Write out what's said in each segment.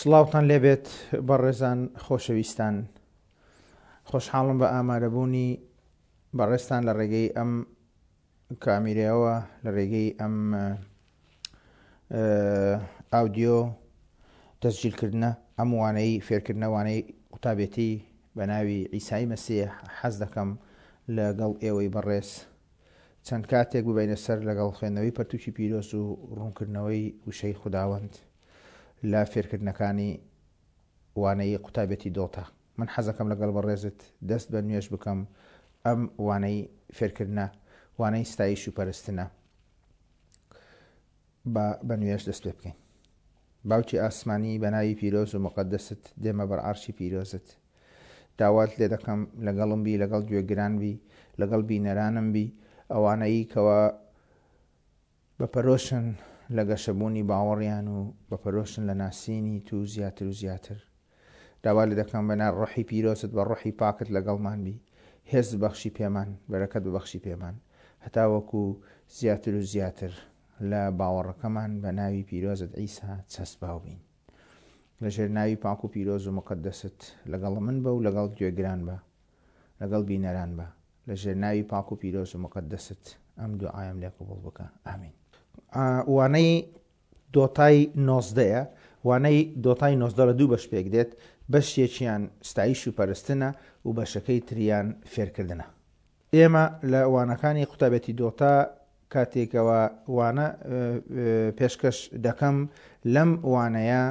سڵاوتان لێبێت بەڕێزان خۆشەویستان خۆشحاڵم بە ئامادەبوونی بەڕێزتان لە ڕێگەی ئەم کامیرەوە لە ڕێگەی ئەم ئاودیۆ تەسجیلکردنە ئەم وانەی فێرکردنە وانەی قوتابێتی بە ناوی عیسای مەسیح حەز دەکەم لەگەڵ ئێوەی بەڕێز چەند کاتێک ببینە سەر لەگەڵ خوێندنەوەی پەرتوکی پیرۆز و ڕوونکردنەوەی وشەی خوداوەند لە فێرکردنەکانی وانەی قوتابێتی دۆتا. من حەزەکەم لەگەڵ بەڕێزت دەست بە نوێژ بکەم ئەم وانەی فێرکردنە وانەی ستایش و پەرستنە با بە نوێژ دەست پێ بکەین. باوکی ئاسمانی بە ناوی پیرۆز و موقەدەست دێمە بەر عەرشی پیرۆزت داوات لێ دەکەم لەگەڵم بی لەگەڵ گوێگران بی لەگەڵ بینەرانم بی ئەوانەی کەوا بە پەرۆشن لە گەشەبوونی باوەڕیان و بە پەرۆشن لە ناسینی تو زیاتر و زیاتر. داوا لێ دەکەم بە ڕۆحی پیرۆزت بە ڕۆحی پاکت لەگەڵمان بی، هێز ببەخشی پێمان، بەرەکەت ببەخشی پێمان، هەتاوەکو زیاتر و زیاتر لە باوەڕەکەمان بە ناوی پیرۆزت عیسا چەسپاو بین. لە ژێر ناوی پاک و پیرۆز و موقەدەست لەگەڵ من بە و لەگەڵ گوێگران بە، لەگەڵ بینەران بە. لە ژێر ناوی پاک و پیرۆز و موقەدەست ئەم دوعایەم لێ قبوڵ بکە. ئامین. وانەی دۆتای نۆزدەیە. وانەی دۆتای 19 لە دوو بەش پێک دێت، بەشێکیان ستایش و پەرستنە و بەشەکەی تریان فێرکردنە. ئێمە لە وانەکانی قوتابێتی دۆتا کاتێکەوە وانە پێشکەش دەکەم لەم وانەیە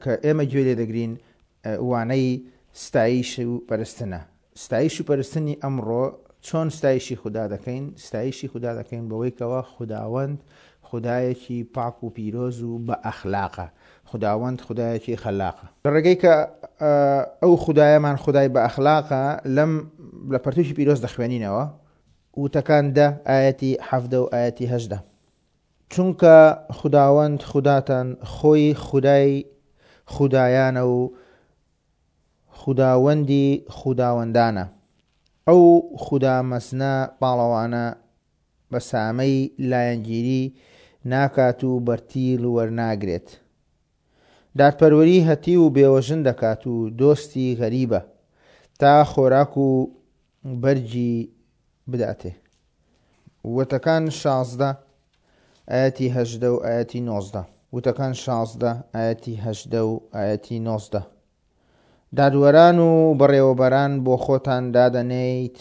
کە ئێمە گوێ لێ دەگرین وانەی ستایش و پەرستنە. ستایش و پەرستنی ئەمڕۆ چۆن ستایشی خودا دەکەین؟ ستایشی خودا دەکەین بەوەی کەوا خوداوەند خودایەکی پاک و پیرۆز و بە ئەخلاقە. خوداوەند خودایەکی خەلاقە. لە ڕێگەی کە ئەو خودایەمان خودای بە ئەخلاقە لەم لە پەرتوکی پیرۆز دەخوێنینەوە وتەکان دە ئایەتی 17 و ئایەتی 18 چونکە خوداوەند خوداتان خۆی خودای خودایانە و خوداوەندی خوداوەندانە، ئەو خودا مەزنە پاڵەوانە بە سامەی لایەنگیری ناکات و بەرتیل وەرناگرێت. دادپەروەری هەتیو و بێوەژن دەکات و دۆستی غەریبە، تا خۆراک و بەرگی بداتێ. وتەکان 16 ئایەتی 18 و ئایەتی 19. وتەکان 16 ئایەتی 18 و ئایەتی 19. دادوەران و بەڕێوەبەران بۆ خۆتان دادەنێیت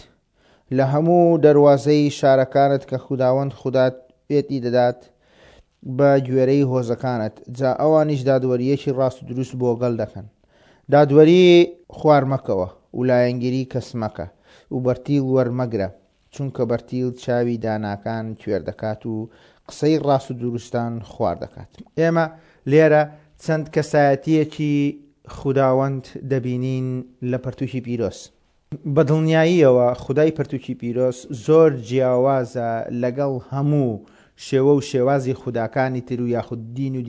لە هەموو دەروازەی شارەکانت کە خوداوەند خودات پێتی دەدات بە گوێرەی هۆزەکانت، جا ئەوانیش دادوەرییەکی ڕاست و دروست بۆ گەل دەکەن. دادوەری خوار مەکەوە و لایەنگیری کەس مەکە و بەرتیل وەرمەگرە، چونکە بەرتیل چاوی داناکان کوێر دەکات و قسەی ڕاست و دروستان خوار دەکات. ئێمە لێرە چەند کەسایەتییەکی خوداوەند دەبینین لە پەرتووکی پیرۆز. بە دڵنیاییەوە خودای پەرتووکی پیرۆز زۆر جیاوازە لەگەڵ هەموو شێوە و شێوازی خوداکانی تر و یاخود دین و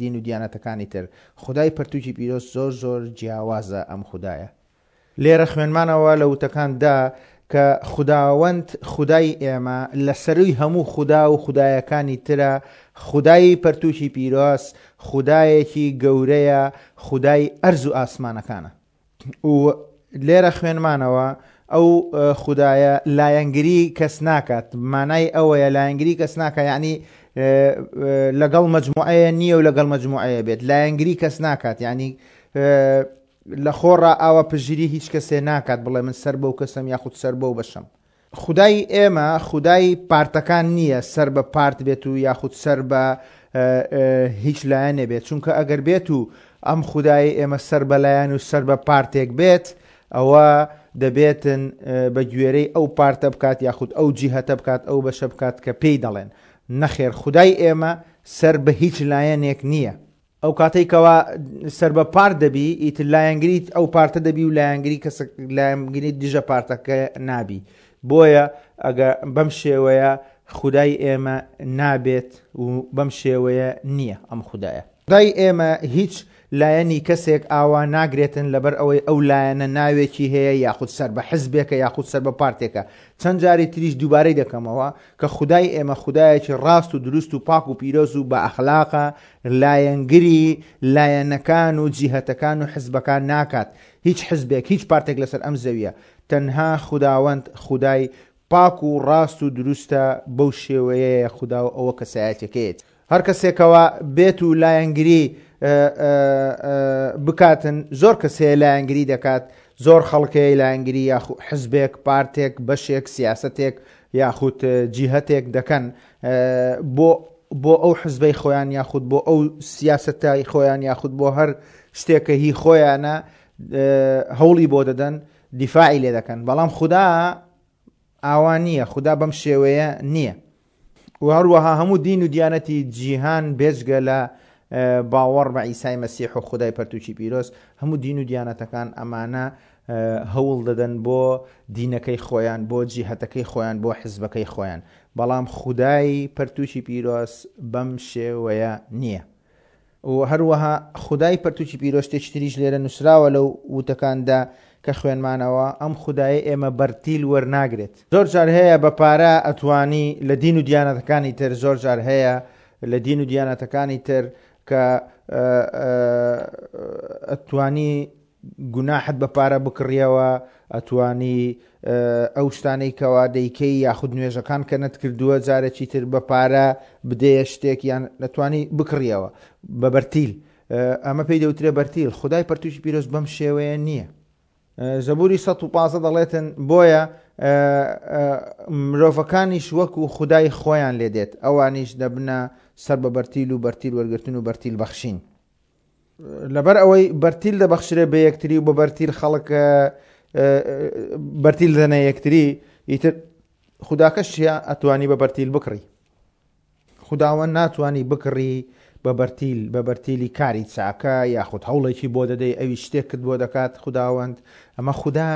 دین و دیانەتەکانی تر. خودای پەرتووکی پیرۆز زۆر زۆر جیاوازە ئەم خودایە. لێرە خوێنمانەوە لە وتەکان دا کە خوداوەند خودای ئێمە لە سەرووی هەموو خودا و خودایەکانی ترە، خودای پەرتووکی پیرۆز خودایەکی گەورەیە، خودای ئەرز و ئاسمانەکانە. و لێرە خوێنمانەوە ئەو خودایە لایەنگری کەس ناکات، مانای ئەوەیە لایەنگری کەس ناکات یعنی لەگەڵ مەجموعەیە نییە و لەگەڵ مەجموعەیە بێت لایەنگری کەس ناکات یعنی لە خۆڕا ئاوا پشتگیری هیچ کەسێ ناکات بڵێ من سەر بەو کەسەم یاخود سەر بەو بەشەم. خودای ئێمە خودای پارتەکان نییە سەر بە پارت بێت و یاخود سەر بە هیچ لایەنێ بێت چونکە ئەگەر بێت و ئەم خودای ئێمە سەر بە لایەن و سەر بە پارتێک بێت ئەوە دەبێتن بە گوێرەی ئەو پارتە بکات یاخود ئەو جیهەتە بکات ئەو بەشە بکات کە پێی دەڵێن نەخێر خودای ئێمە سەر بە هیچ لایەنێک نییە. ئەو کاتەی کەوا سەر بە پارت دەبی ئیتر لایەنگریت ئەو پارتە دەبی و لایەنگری کەس لایەنگری دژە پارتەکە نابی بۆیە ئەگە بەم شێوەیە خودای ئێمە نابێت و بەم شێوەیە نییە ئەم خودایە. خودای ئێمە هیچ. لایەنی کەسێک ئاوا ناگرێتن لەبەر ئەوەی ئەو لایەنە ناوێکی هەیە یاخود سەر بە حزبێکە یاخود سەر بە پارتێکە. چەند جاری تریش دووبارەی دەکەمەوە کە خودای ئێمە خودایەکی ڕاست و دروست و پاک و پیرۆز و بە ئەخلاقە، لایەنگری لایەنەکان و جیهەتەکان و حزبەکان ناکات. هیچ حزبێک، هیچ پارتێک لەسەر ئەم زەویە. تەنها خوداوەند خودای پاک و ڕاست و دروستە بەو شێوەیەیە خودا و ئەوە کەسایەتیەکەیەتی. هەر کەسێکەوە بێت و لایەنگری بکاتن زۆر کەس هەیە لایەنگری دەکات زۆر خەڵک هەیە لایەنگری یاخو حزبێک پارتێک بەشێک سیاسەتێک یاخود جیهەتێک دەکەن بۆ بۆ ئەو حزبەی خۆیان یاخود بۆ ئەو سیاسەتای خۆیان یاخود بۆ هەر شتێکە هی خۆیانە هەوڵی بۆ دەدەن دیفاعی لێ دەکەن بەڵام خودا ئاوا نییە خودا بەم شێوەیە نییە و هەروەها هەموو دین و دیانەتی جیهان بێجگە لە باوەڕ بە ئیسای مەسیح و خودای پەرتوکی پیرۆز هەموو دین و دیانەتەکان ئەمانە هەوڵ دەدەن بۆ دینەکەی خۆیان بۆ جیهەتەکەی خۆیان بۆ حزبەکەی خۆیان بەڵام خودای پەرتوکی پیرۆز بەم شێوەیە نییە. و هەروەها خودای پەرتوکی پیرۆز شتێکی تریش لێرە نووسراوە لەو وتەکاندا کە خوێنمانەوە، ئەم خودایەی ئێمە بەرتیل وەرناگرێت. زۆر جار هەیە بە پارە ئەتوانی لە دین و دیانەتەکانی تر زۆر جار هەیە لە دین و دیانەتەکانی تر کە ئەتوانی گوناحت بە پارە بکڕیەوە ئەتوانی ئەو شتانەی کەوا دەیکەی یاخود نوێژەکان کە نەتکردووە جارێکی تر بە پارە بدەیە شتێک یان دەتوانی بکڕیەوە بە بەرتیل ئەمە پێی دەوترێ بەرتیل خدای پەرتوکی پیرۆز بەم شێوەیە نییە زەبوری 115 دەڵێتن بۆیە مرۆڤەکانیش وەکو خدای خۆیان لێ دێت ئەوانیش دەبنە سەر بە بەرتیل و بەرتیل وەرگرتن و بەرتیل بەخشین لەبەر ئەوەی بەرتیل دەبەخشرێ بە یەکتری و بە بەرتیل خەڵک بەرتیل دەنە یەکتری ئیتر خوداکەش چیە ئەتوانی بە بەرتیل بکڕی خوداوە ناتوانی بکڕی بە بەرتیل بە بەرتیلی کاری چاکە یاخود هەوڵێکی بۆ دەدەی ئەوی شتێکت بۆ دەکات خوداوەند ئەمە خودا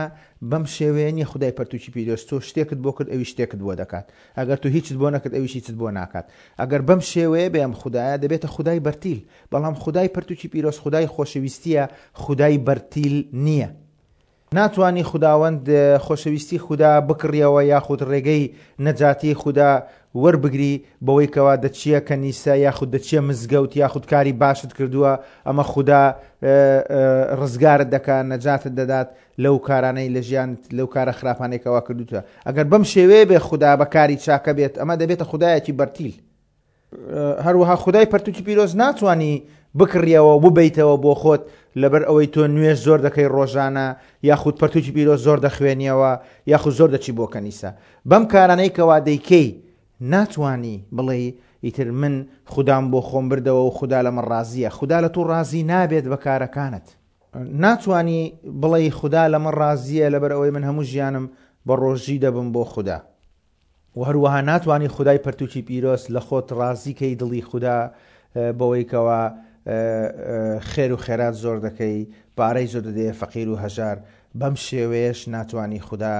بەم شێوەیە نیە خودای پەرتوکی پیرۆز تۆ شتێکت بۆ کرد ئەوی شتێکت بۆ دەکات ئەگەر تۆ هیچت بۆ نەکرد ئەویش هیچت بۆ ناکات ئەگەر بەم شێوەیە بێ ئەم خودایە دەبێتە خودای بەرتیل بەڵام خودای پەرتوکی پیرۆز خودای خۆشەویستیە خودای بەرتیل نییە. ناتوانی خوداوەند خۆشەویستی خودا بکڕیەوە یاخود ڕێگەی نەجاتی خودا وەربگری بەوەی کەوا دەچیە کەنیسە یاخود دەچیە مزگەوت یاخود کاری باشت کردووە ئەمە خودا ڕزگارت دەکا نەجاتت دەدات لەو کارانەی لە ژیانت لەو کارە خراپانەی کەوا کردوتە ئەگەر بەم شێوەیە بێ خودا بە کاری چاکە بێت ئەمە دەبێتە خودایەکی بەرتیل. هەروەها خودای پەرتوکی پیرۆز ناتوانی بکڕیەوە و ببیتەوە بۆ خۆت لەبەر ئەوەی تۆ نوێژ زۆر دەکەی ڕۆژانە یاخود پەرتوکی پیرۆز زۆر دەخوێنیەوە یاخود زۆر دەچی بۆ کەنیسە بەم کارانەی کەوا دەیکەی ناتوانی بڵێی ئیتر من خودام بۆ خۆم بردەوە و خودا لە من ڕازیە خودا لە تۆ ڕازی نابێت بە کارەکانت ناتوانی بڵێی خودا لە من ڕازیە لەبەر ئەوەی من هەموو ژیانم بە ڕۆژی دەبم بۆ خودا وە هەروەها ناتوانی خودای پەرتوکی پیرۆز لە خۆت ڕازی کەی دڵی خودا بەوەی کەوا خێر و خێرات زۆر دەکەی پارەی زۆر دەدەیە فەقیر و هەژار بەم شێوەیەش ناتوانی خودا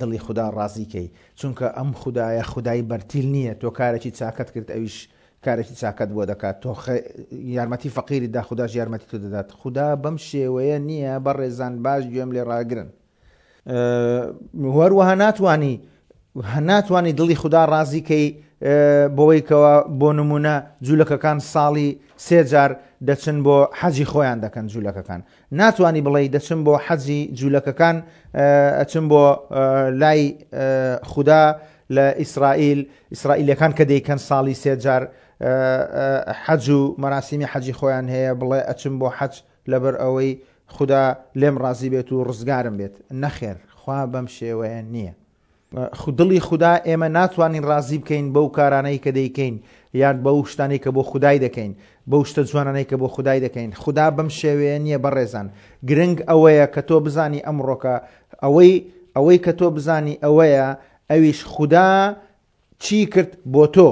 دڵی خودا ڕازی کەی چونکە ئەم خودایە خودای بەرتیل نییە تۆ کارێکی چاکەت کرد ئەویش کارێکی چاکەت بۆ دەکات تۆ یارمەتی فەقیری دا خوداش یارمەتی تۆ دەدات خودا بەم شێوەیە نییە بەڕێزان باش گوێم لێ ڕاگرن هەروەها ناتوانی ناتوانی دڵی خودا ڕازی کەی بەوەی کەەوە بۆ نمونە جوولەکەکان ساڵی سێجار دەچن بۆ حەجی خۆیان دەکەن جوولەکەکان ناتوانی بڵێ دەچم بۆ حەجی جوولەکەکان ئەچم بۆ لای خودا لە ئیسرائیل ئیسرائیلەکان کە دەیکەن ساڵی سێجار حەج و مەراسیمی حەجی خۆیان هەیە بڵێ ئەچم بۆ حەج لەبەر ئەوەی خودا لێم ڕازی بێت و ڕزگارم بێت، نەخێر خوا بەم شێوەیە نییە. دڵی خودا ئێمە ناتوانین ڕازی بکەین بەو کارانەی کە دەیکەین یان بەو شتانەی کە بۆ خودای دەکەین، بەو شتە جوانانەی کە بۆ خودای دەکەین، خودا بەم شێوەیە نییە بەڕێزان، گرنگ ئەوەیە کە تۆ بزانی ئەمڕۆکە ئەوەی ئەوەی کە تۆ بزانی ئەوەیە ئەویش خودا چی کرد بۆ تۆ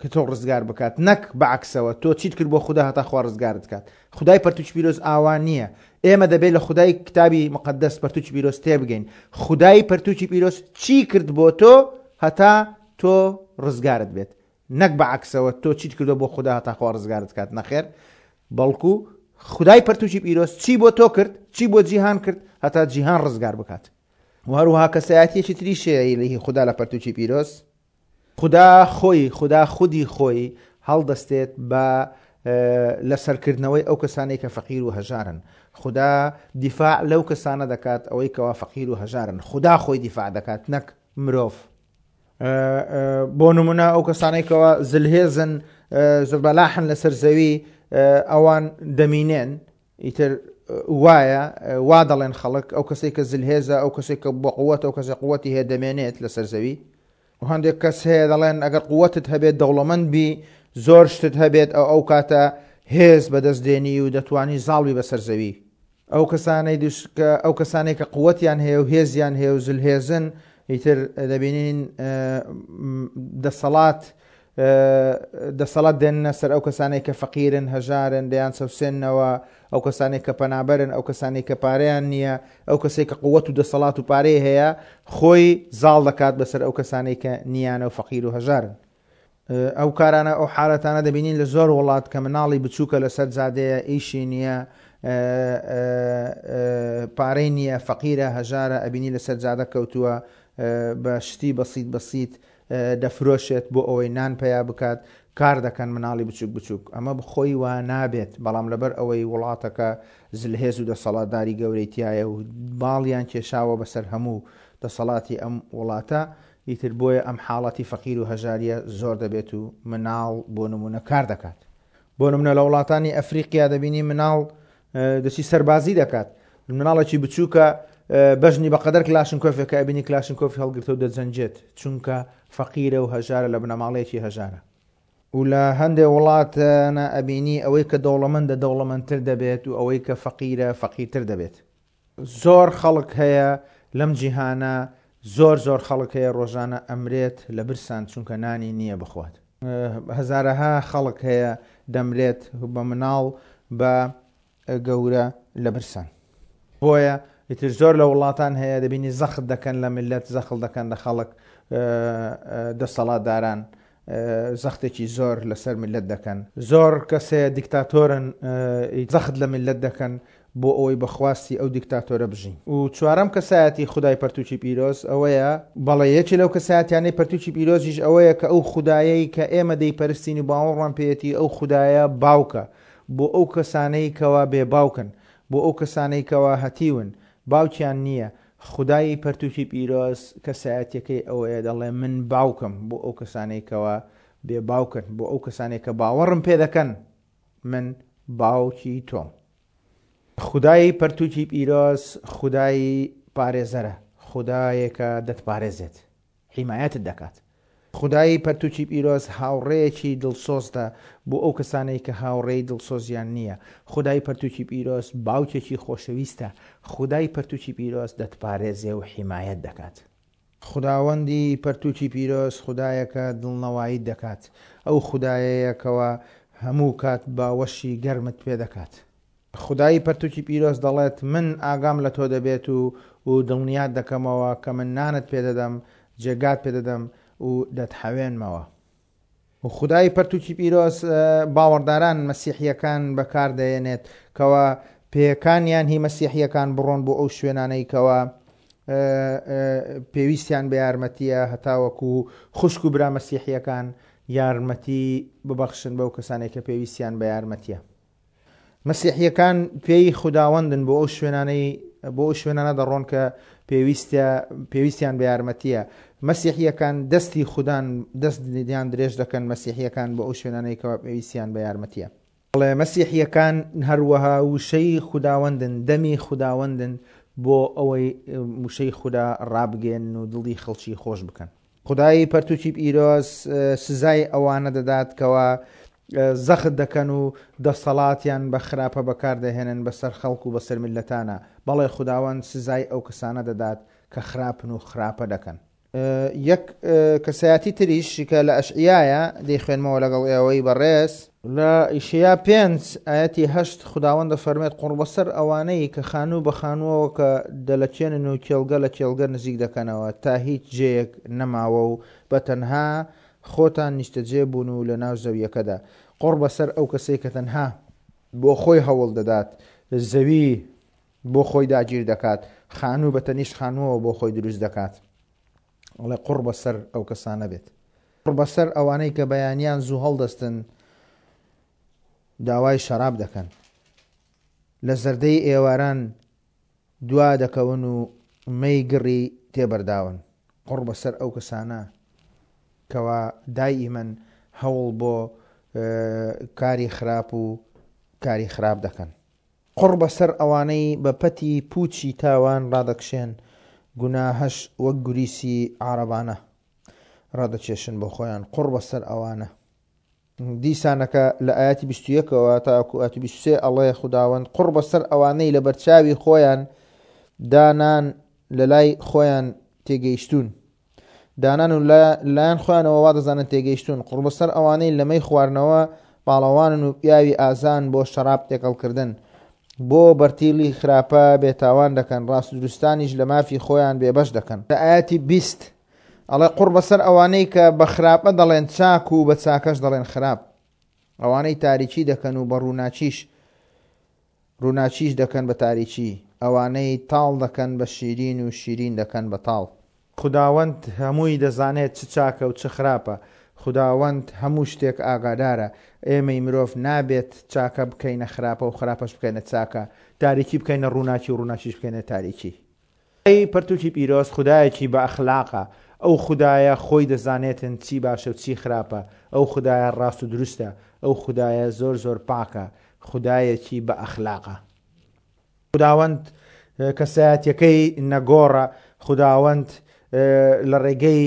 کە تۆ ڕزگار بکات نەک بە عەکسەوە تۆ چیت کرد بۆ خودا هەتا خوا ڕزگارت کات خودای پەرتوکی پیرۆز ئاوا نییە ئێمە دەبێت لە خودای کتابی مقدس پەرتوکی پیرۆز تێبگەین خودای پەرتوکی پیرۆز چی کرد بۆ تۆ هەتا تۆ ڕزگارت بێت نەک بە عەکسەوە تۆ چیت کردو بۆ خودا هەتا خوا ڕزگارت کات نەخێر بەڵکو خودای پەرتوکی پیرۆز چی بۆ تۆ کرد، چی بۆ جیهان کرد هەتا جیهان ڕزگار بکات. و هەروەها کەسایەتیەکی تریش هەیە هی خودا لە پەرتوکی پیرۆز، خودا خۆی، خودا خودی خۆی هەڵدەستێت بە لەسەرکردنەوەی ئەو کەسانەی کە فەقیر و هەژارن. خودا دیفاع لەو کەسانە دەکات ئەوەی کەوا فەقیر و هەژارن. خودا خۆی دیفاع دەکات نەک مرۆڤ. بۆ نمونە ئەو کەسانەی کەوا زلهێزن، زەبەلاحن لەسەر زەوی، ئەوان دەمینێن. ئیتر وایە، وا دەڵێن خەڵک، ئەو کەسەی کە زلهێزە، ئەو کەسێک کە بە قووەتە، ئەو کەسێک قووەتی هەیە دەمێنێت لەسەر زەوی. و هەندێک کەس هەیە دەڵێن ئەگەر قووەتت هەبێت، دەوڵەمەند بی، زۆر شتت هەبێت، ئەو ئەو کاتە هێز بەدەست دێنی و دەتوانی زاڵ بی بەسەر زەوی. ئەو کەسانەی دوش کە ئەو کەسانەی کە قووەتیان هەیە و هێزیان هەیە و زلهێزن، ئیتر دەبینین دەسەڵات دەسەڵات دێننە سەر ئەو کەسانەی کە فەقیرن، هەژارن، دەیان چەوسێننەوە، ئەو کەسانەی کە پەنابەرن، ئەو کەسانەی کە پارەیان نییە، ئەو کەسەی کە قووەت و دەسەڵات و پارەی هەیە خۆی زاڵ دەکات بەسەر ئەو کەسانەی کە نییانە و فەقیر و هەژارن. ئەو کارانە ئەو حالەتانە دەبینین لە زۆر وڵات کە مناڵی بچووکە لەسەر جادەیە ئیشی نییە پارەی نییە فەقیرە هەژارە ئەبینی لەسەر جادە کەوتووە بە شتی بەسیت بەسیت دەفرۆشێت بۆ ئەوەی نان پەیا بکات، کار دەکەن مناڵی بچوک بچوک، ئەمە بخۆی وا نابێت، بەڵام لەبەر ئەوەی وڵاتەکە زلهێز و دەسەڵاتداری گەورەی تیایە و باڵیان کێشاوە بەسەر هەموو دەسەڵاتی ئەم وڵاتە، ئیتر بۆیە ئەم حاڵەتی فەقیر و هەژاریە زۆر دەبێت و مناڵ بۆ نمونە کار دەکات. بۆ نمونە لە وڵاتانی ئەفریقیا دەبینی مناڵ دەچی سەربازی دەکات مناڵێکی بچووکە بەژنی بەقەدەر کلاشنکۆفێکە ئەبینی کلاشنکۆفی هەڵگرتە و دەجەنجێت چونکە فەقیرە و هەژارە لە بنەماڵەیەکی هەژارە و لە هەندێ وڵاتانە ئەبینی ئەوەی کە دەوڵەمەندە دەوڵەمەندتر دەبێت و ئەوەی کە فەقیرە فەقیرتر دەبێت زۆر خەڵک هەیە لەم جیهانە زۆر زۆر خەڵک هەیە ڕۆژانە ئەمرێت لە برسان چونکە نانی نییە بخوات. هەزارەها خەڵک هەیە دەمرێت بە مناڵ بە گەورە لە برسان. بۆیە ئیتر زۆر لە وڵاتان هەیە دەبینی زەخت دەکەن لە میللەت زەخڵ دەکەن لە خەڵک دەسەڵاتداران زەختێکی زۆر لەسەر میللەت دەکەن. زۆر کەس هەیە دیکتاتۆرن زەخت لە میللەت دەکەن بۆ ئەوەی بە خواستی ئەو دیکتاتۆرە بژین. و چوارەم کەسایەتی خودای پەرتوکی پیرۆز ئەوەیە. بەڵێ یەکێ لەو کەسایەتیانەی پەرتوکی پیرۆزیش ئەوەیە کە ئەو خودایەی کە ئێمە دەیپەرستین و باوەڕمان پێیەتی ئەو خودایە باوکە بۆ ئەو کەسانەی کەوا بێ باوکن بۆ ئەو کەسانەی کەوا هەتیون باوکیان نییە خودای پەرتوکی پیرۆز کەسایەتیەکەی ئەوەیە دەڵێ من باوکم بۆ ئەو کەسانەی کەوا بێ باوکن بۆ ئەو کەسانەی کە باوەڕم پێ دەکەن من باوکی تۆم. خودای پەرتوکی پیرۆز خودای پارێزەرە، خودایەکە دەتپارێزێت، حیمایەتت دەکات. خودای پەرتوکی پیرۆز هاوڕێیەکی دڵسۆزتە بۆ ئەو کەسانەی کە هاوڕێی دڵسۆزیان نییە. خودای پەرتوکی پیرۆز باوکێکی خۆشەویستە. خودای پەرتوکی پیرۆز دەتپارێزێ و حیمایەت دەکات. خوداوەندی پەرتوکی پیرۆز خودایەکە دڵنەواییت دەکات. ئەو خودایەیە کەوا هەموو کات باوەشی گەرمت پێ دەکات. خودای پەرتوکی پیرۆز دەڵێت، من ئاگام لە تۆ دەبێت و و دڵنیات دەکەمەوە کە من نانت پێ دەدەم، جێگات پێ دەدەم و دەتحەوێنمەوە. و خودای پەرتوکی پیرۆز باوەڕداران، مەسیحییەکان، بەکار دەێنێت کەوا پێیەکانیان هی مەسیحییەکان بڕۆن بۆ ئەو شوێنانەی کەوا پێویستیان بە یارمەتییە هەتاوەکو خوشک و برا مەسیحییەکان یارمەتی ببەخشن بەو کەسانەی کە پێویستیان بە یارمەتییە. مەسیحییەکان پێی خوداوەندن بۆ ئەو شوێنانەی بۆ ئەو شوێنانە دەڕۆن کە پێویستە پێویستیان بە یارمەتییە. مەسیحییەکان دەستی خودان دەستیان درێژ دەکەن مەسیحییەکان بۆ ئەو شوێنانەی کەوا پێویستیان بە یارمەتییە. بەڵێ مەسیحییەکان هەروەها وشەی خوداوەندن، دەمی خوداوەندن بۆ ئەوەی وشەی خودا ڕابگەیەنن و دڵی خەڵکی خۆش بکەن. خودای پەرتوکی پیرۆز سزای ئەوانە دەدات کەوا زەخت دەکەن و دەسەڵاتیان بە خراپە بەکاردەهێنن بەسەر خەڵک و بەسەر میللەتانا، بەڵێ خوداوەند سزای ئەو کەسانە دەدات کە خراپن و خراپە دەکەن. یەک کەسایەتی تریش کە لە ئەشعیایە دەیخوێنمەوە لەگەڵ ئێوەی بەڕێز. لە ئیشەیا پێنج ئایەتی هەشت خوداوەند دەفەرموێت، قوڕبەسەر ئەوانەی کە خانوو بە خانووەوە کە دەلەکێنن و کێڵگە لە کێڵگە نزیک دەکەنەوە تا هیچ جێیەک نەماوە و بە تەنها خۆتان نیشتەجێ بوون و لەناو زەوییەکەدا. قوڕبەسەر ئەو کەسەی کە تەنها. بۆ خۆی هەوڵ دەدات، زەوی بۆ خۆی داگیر دەکات، خانوو بە تەنیشت خانووەوە بۆ خۆی دروست دەکات. ئەڵێ قوڕ بەسەر ئەو کەسانە بێت. قوڕ بەسەر ئەوانەی کە بەیانیان زوو هەڵدەستن داوای شەراب دەکەن. لە زەردەی ئێواران دوا دەکەون و مەی گڕی تێبەرداون. قوڕ بەسەر ئەو کەسانە کەوا داییمەن هەوڵ بۆ کاری خراپ و کاری خراپ دەکەن. قوڕ بەسەر ئەوانەی بە پەتی پووچی تاوان ڕادەکشێن، گوناهەش وەک گوریسی عارەبانە ڕادەکێشن بۆ خۆیان، قوڕ بەسەر ئەوانە. دیسانەکە لە ئایەتی 21 ەوە تاوەکو ئایەتی 23 ئەڵێ خوداوەند قوڕ بەسەر ئەوانەی لەبەرچاوی خۆیان دانان لەلای خۆیان تێگەیشتوون دانان و لایەن خۆیانەوە وا دەزانن تێگەیشتوون قوڕبەسەر ئەوانەی لە مەی خواردنەوە پاڵەوانن و پیاوی ئازان بۆ شەراب تێکەڵکردن بۆ بەرتیلی خراپە بێتاوان دەکەن ڕاست دروستانیش لە مافی خۆیان بێبەش دەکەن. لە ئایەتی 20 ئەڵێ قوڕ بەسەر ئەوانەی کە بە خراپە دەڵێن چاک و بە چاکەش دەڵێن خراپ ئەوانەی تاریکی دەکەن و بە ڕووناکیش ڕووناکیش دەکەن بە تاریکی، ئەوانەی تاڵ دەکەن بە شیرین و شیرین دەکەن بە تاڵ. خوداوەند هەمووی دەزانێت چ چاکە و چ خراپە، خوداوەند هەموو شتێک ئاگادارە، ئێمەی مرۆڤ نابێت چاکە بکەینە خراپە و خراپەش بکەینە چاکە، تاریکی بکەینە ڕووناکی و ڕووناکیش بکەینە تاریکی. خودای پەرتوکی پیرۆز خودایەکی بە ئەخلاقە، ئەو خودایە خۆی دەزانێتن چی باشە و چی خراپە، ئەو خودایە ڕاست و دروستە، ئەو خودایە زۆر زۆر پاکە، خودایەکی بە ئەخلاقە. خوداوەند کەسایەتیەکەی نەگۆڕە، خوداوەند لە ڕێگەی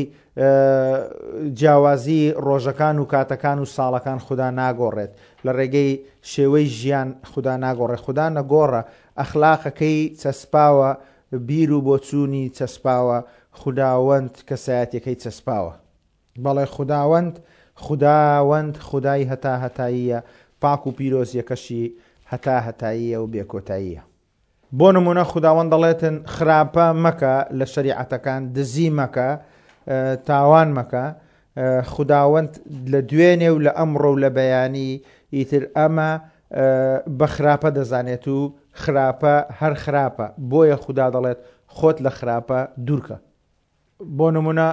جیاوازی ڕۆژەکان و کاتەکان و ساڵەکان خودا ناگۆڕێت، لە ڕێگەی شێوەی ژیان خودا ناگۆڕێت، خودا نەگۆڕە، ئەخلاقەکەی چەسپاوە، بیر و بۆچوونی چەسپاوە، خوداوەند کەسایەتیەکەی چەسپاوە. بەڵێ خوداوەند، خوداوەند خودای هەتاهەتاییە، پاک و پیرۆزیەکەشی هەتاهەتاییە و بێکۆتاییە. بۆ نموونە خوداوەند دەڵێتن خراپە مەکە لە شەریعەتەکان، دزی مەکە، تاوان مەکە، خوداوەند لە دوێنێ و لە ئەمڕۆ و لە بەیانی ئیتر ئەمە بە خراپە دەزانێت و خراپە هەر خراپە، بۆیە خودا دەڵێت خۆت لە خراپە دوورکە. بۆ نمونە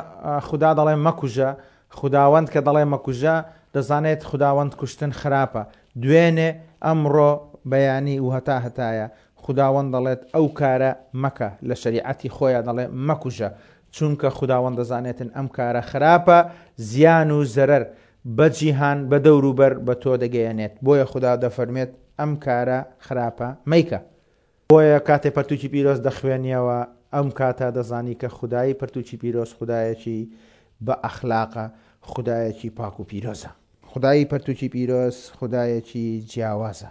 خودا دەڵێ مەکوژە، خوداوەند کە دەڵێ مەکوژە دەزانێت خوداوەند کوشتن خراپە، دوێنێ، ئەمڕۆ، بەیانی و هەتا هەتایە، خوداوەند دەڵێت ئەو کارە مەکە، لە شەریعەتی خۆیا دەڵێ مەکوژە، چونکە خوداوەند دەزانێتن ئەم کارە خراپە، زیان و زەرەر بە جیهان، بە دەوروبەر، بە تۆ دەگەیەنێت، بۆیە خودا دەفەرموێت ئەم کارە خراپە مەیکە. بۆیە کاتێ پەرتوکی پیرۆز دەخوێنیەوە ئەم کاتە دەزانی کە خودای پەرتوکی پیرۆز خودایەکی بە ئەخلاقە، خودایەکی پاک و پیرۆزە. خودای پەرتوکی پیرۆز خودایەکی جیاوازە.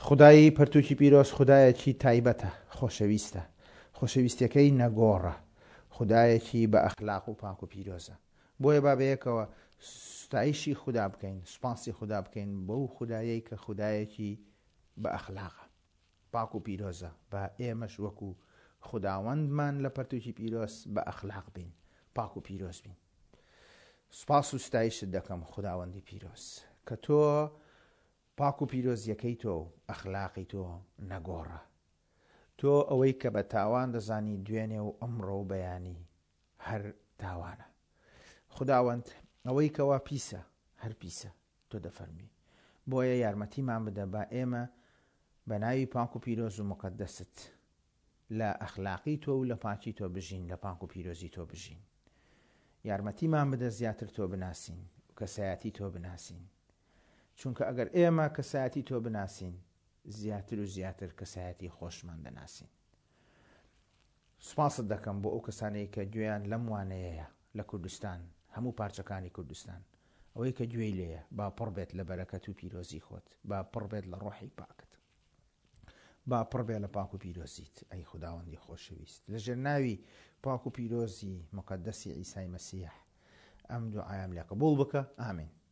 خودای پەرتوکی پیرۆز خودایەکی تایبەتە، خۆشەویستە. خۆشەویستیەکەی نەگۆڕە. خودایەکی بە ئەخلاق و پاک و پیرۆزە. بۆیە با بەیەکەوە ستایشی خودا بکەین، سوپاسی خودا بکەین بەو خودایەی کە خودایەکی بە ئەخلاقە، پاک و پیرۆزە، با ئێمەش وەکو خوداوەندمان لە پەرتوکی پیرۆز بە ئەخلاق بین، پاک و پیرۆز بین. سوپاس و ستایشت دەکەم خوداوەندی پیرۆز، کە تۆ پاک و پیرۆزیەکەی تۆ و ئەخلاقی تۆ نەگۆڕە. تۆ ئەوەی کە بە تاوان دەزانی دوێنێ و ئەمڕۆ و بەیانی هەر تاوانە. خوداوەند ئەوەی کەوا پیسە هەر پیسە. تۆ دەفەرمووی. بۆیە یارمەتیمان بدە با ئێمە بە ناوی پاک و پیرۆز و موقەدەست لە ئەخلاقی تۆ و لە پاکی تۆ بژین، لە پاک و پیرۆزی تۆ بژین. یارمەتیمان بدە زیاتر تۆ بناسین و کەسایەتی تۆ بناسین. چونکە ئەگەر ئێمە کەسایەتی تۆ بناسین، زیاتر و زیاتر کەسایەتی خۆشمان دەناسین. سوپاست دەکەم بۆ ئەو کەسانەی کە گوێیان لەم وانەیەیە لە کوردستان، هەموو پارچەکانی کوردستان. ئەوەی کە گوێی لێیە با پڕ بێت لە بەرەکەت و پیرۆزی خۆت، با پڕ بێت لە ڕۆحی پاکت. با پڕ بێ لە پاک و پیرۆزیت، ئەی خوداوەندی خۆشەویست. لە ژێر ناوی پاک و پیرۆزی موقەدەسی عیسای مەسیح ئەم دوعایەم لێ قبوڵ بکە. ئامین.